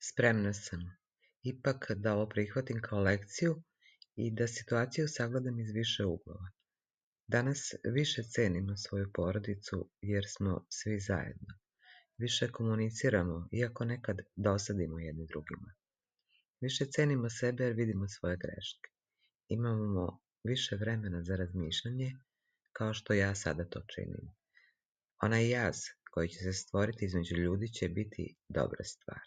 Spremna sam ipak da ovo prihvatim kao lekciju i da situaciju sagledam iz više uglova. Danas više cenimo svoju porodicu jer smo svi zajedno. Više komuniciramo, iako nekad dosadimo jedni drugima. Više cenimo sebe jer vidimo svoje greške. Imamo više vremena za razmišljanje, kao što ja sada to činim. Onaj jaz koji će se stvoriti između ljudi će biti dobra stvar.